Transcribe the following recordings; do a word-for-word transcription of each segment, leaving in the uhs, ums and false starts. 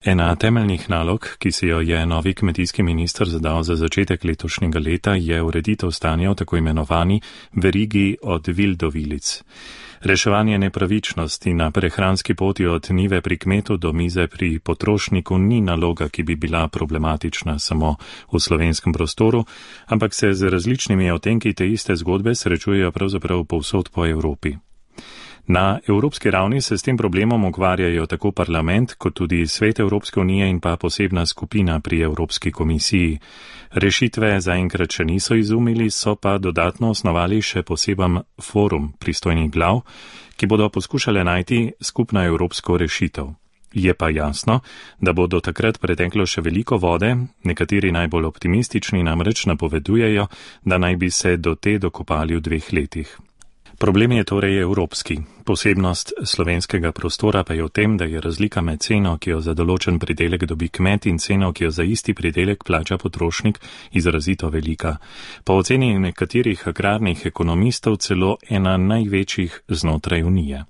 Ena temeljnih nalog, ki si jo je novi kmetijski minister zadal za začetek letošnjega leta, je ureditev stanja v tako imenovani verigi od vil do vilic. Reševanje nepravičnosti na prehranski poti od njive pri kmetu do mize pri potrošniku ni naloga, ki bi bila problematična samo v slovenskem prostoru, ampak se z različnimi otenki te iste zgodbe srečujejo pravzaprav povsod po Evropi. Na evropski ravni se s tem problemom ukvarjajo tako parlament, kot tudi Svet Evropske unije in pa posebna skupina pri Evropski komisiji. Rešitve zaenkrat še niso izumili, so pa dodatno osnovali še poseben forum pristojnih glav, ki bodo poskušale najti skupno evropsko rešitev. Je pa jasno, da bo do takrat preteklo še veliko vode, nekateri najbolj optimistični namreč napovedujejo, da naj bi se do te dokopali v dveh letih. Problem je torej evropski. Posebnost slovenskega prostora pa je v tem, da je razlika med ceno, ki jo za določen pridelek dobi kmet, in ceno, ki jo za isti pridelek plača potrošnik, izrazito velika. Po oceni nekaterih agrarnih ekonomistov celo ena največjih znotraj Unije.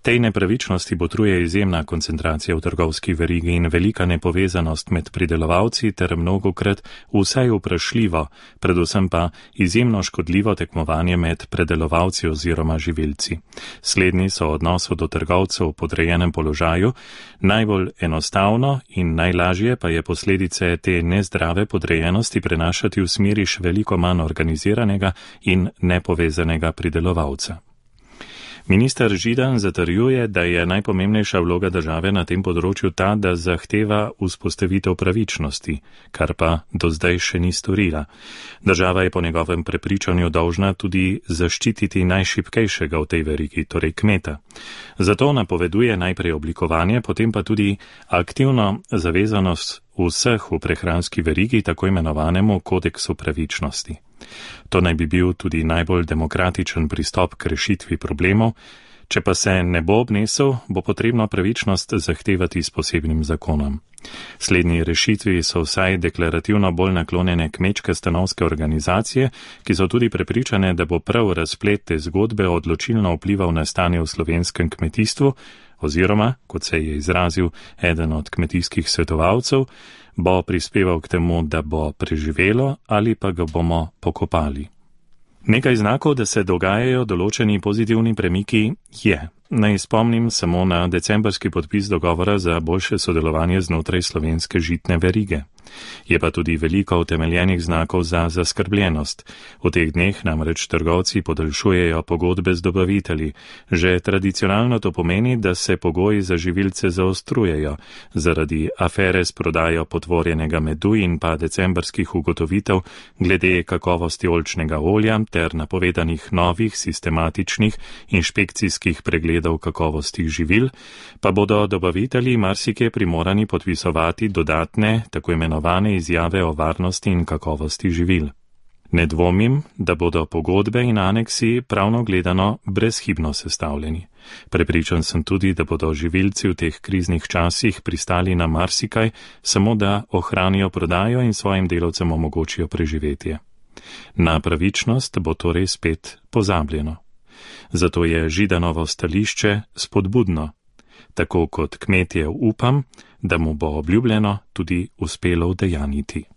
Tej nepravičnosti botruje izjemna koncentracija v trgovski verigi in velika nepovezanost med pridelovalci ter mnogokrat vsaj vprašljivo, predvsem pa izjemno škodljivo tekmovanje med predelovalci oziroma živilci. Slednji so v odnosu do trgovcev v podrejenem položaju, najbolj enostavno in najlažje pa je posledice te nezdrave podrejenosti prenašati v smeri še veliko manj organiziranega in nepovezanega pridelovalca. Minister Židan zatrjuje, da je najpomembnejša vloga države na tem področju ta, da zahteva vzpostavitev pravičnosti, kar pa do zdaj še ni storila. Država je po njegovem prepričanju dolžna tudi zaščititi najšibkejšega v tej verigi, torej kmeta. Zato napoveduje najprej oblikovanje, potem pa tudi aktivno zavezanost vseh v prehranski verigi, tako imenovanemu kodeksu pravičnosti. To naj bi bil tudi najbolj demokratičen pristop k rešitvi problemov, če pa se ne bo obnesel, bo potrebno pravičnost zahtevati s posebnim zakonom. Slednji rešitvi so vsaj deklarativno bolj naklonjene kmečke stanovske organizacije, ki so tudi prepričane, da bo prav razplet te zgodbe odločilno vplival na stanje v slovenskem kmetijstvu, oziroma, kot se je izrazil eden od kmetijskih svetovalcev, bo prispeval k temu, da bo preživelo ali pa ga bomo pokopali. Nekaj znakov, da se dogajajo določeni pozitivni premiki, je. Naj spomnim samo na decembrski podpis dogovora za boljše sodelovanje znotraj slovenske žitne verige. Je pa tudi veliko utemeljenih znakov za zaskrbljenost. V teh dneh namreč trgovci podaljšujejo pogodbe z dobavitelji. Že tradicionalno to pomeni, da se pogoji za živilce zaostrujejo. Zaradi afere s prodajo potvorjenega medu in pa decembrskih ugotovitev glede kakovosti oljčnega olja ter napovedanih novih sistematičnih inšpekcijskih pregledov kakovosti živil, pa bodo dobavitelji marsikje primorani podpisovati dodatne, tako imenovane izjave o varnosti in kakovosti živil. Ne dvomim, da bodo pogodbe in aneksi pravno gledano brezhibno sestavljeni. Prepričan sem tudi, da bodo živilci v teh kriznih časih pristali na marsikaj, samo da ohranijo prodajo in svojim delavcem omogočijo preživetje. Na pravičnost bo torej spet pozabljeno. Zato je Židanovo stališče spodbudno. Tako kot kmetje upam, da mu bo obljubljeno tudi uspelo udejanjiti.